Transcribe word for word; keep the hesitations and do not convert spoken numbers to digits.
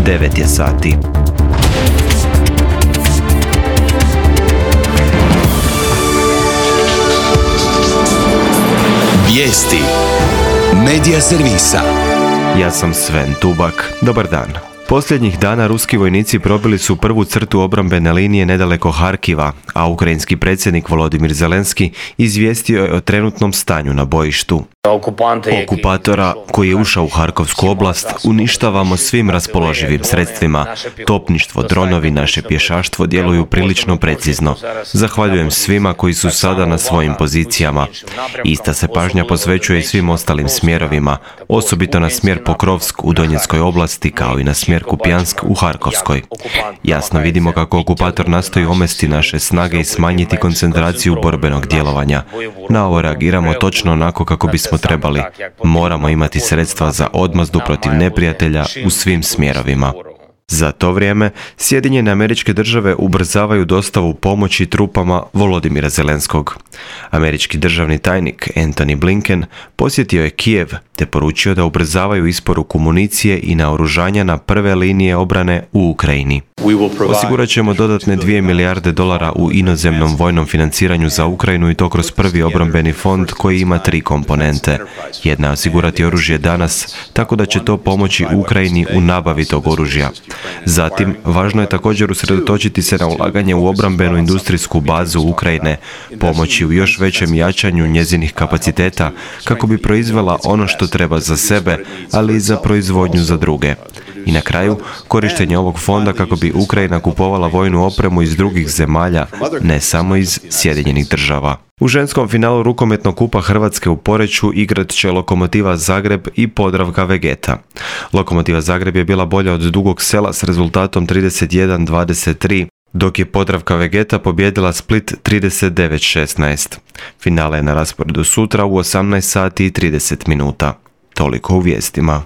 devet je sati. Vijesti Medija servisa. Ja sam Sven Tubak. Dobar dan. Posljednjih dana ruski vojnici probili su prvu crtu obrambene linije nedaleko Harkiva, a ukrajinski predsjednik Volodimir Zelenski izvijestio je o trenutnom stanju na bojištu. Okupatora koji je ušao u Harkovsku oblast uništavamo svim raspoloživim sredstvima. Topništvo, dronovi, naše pješaštvo djeluju prilično precizno. Zahvaljujem svima koji su sada na svojim pozicijama. Ista se pažnja posvećuje i svim ostalim smjerovima, osobito na smjer Pokrovsk u Donjeckoj oblasti kao i na smjer Kupjansk u Harkovskoj. Jasno vidimo kako okupator nastoji omesti naše snage i smanjiti koncentraciju borbenog djelovanja. Na ovo reagiramo točno onako kako bismo trebali. Moramo imati sredstva za odmazdu protiv neprijatelja u svim smjerovima. Za to vrijeme, Sjedinjene Američke Države ubrzavaju dostavu pomoći trupama Volodimira Zelenskog. Američki državni tajnik Antony Blinken posjetio je Kijev te poručio da ubrzavaju isporuku municije i naoružanja na prve linije obrane u Ukrajini. Osigurat ćemo dodatne dvije milijarde dolara u inozemnom vojnom financiranju za Ukrajinu i to kroz prvi obrambeni fond koji ima tri komponente. Jedna je osigurati oružje danas, tako da će to pomoći Ukrajini u nabavi tog oružja. Zatim, važno je također usredotočiti se na ulaganje u obrambenu industrijsku bazu Ukrajine, pomoći u još većem jačanju njezinih kapaciteta kako bi proizvela ono što treba za sebe, ali i za proizvodnju za druge. I na kraju, korištenje ovog fonda kako bi Ukrajina kupovala vojnu opremu iz drugih zemalja, ne samo iz Sjedinjenih Država. U ženskom finalu rukometnog kupa Hrvatske u Poreču igrat će Lokomotiva Zagreb i Podravka Vegeta. Lokomotiva Zagreb je bila bolja od Dugog Sela s rezultatom trideset jedan dvadeset tri, dok je Podravka Vegeta pobijedila Split trideset devet šesnaest. Finale je na rasporedu sutra u osamnaest sati i trideset minuta. Toliko u vijestima.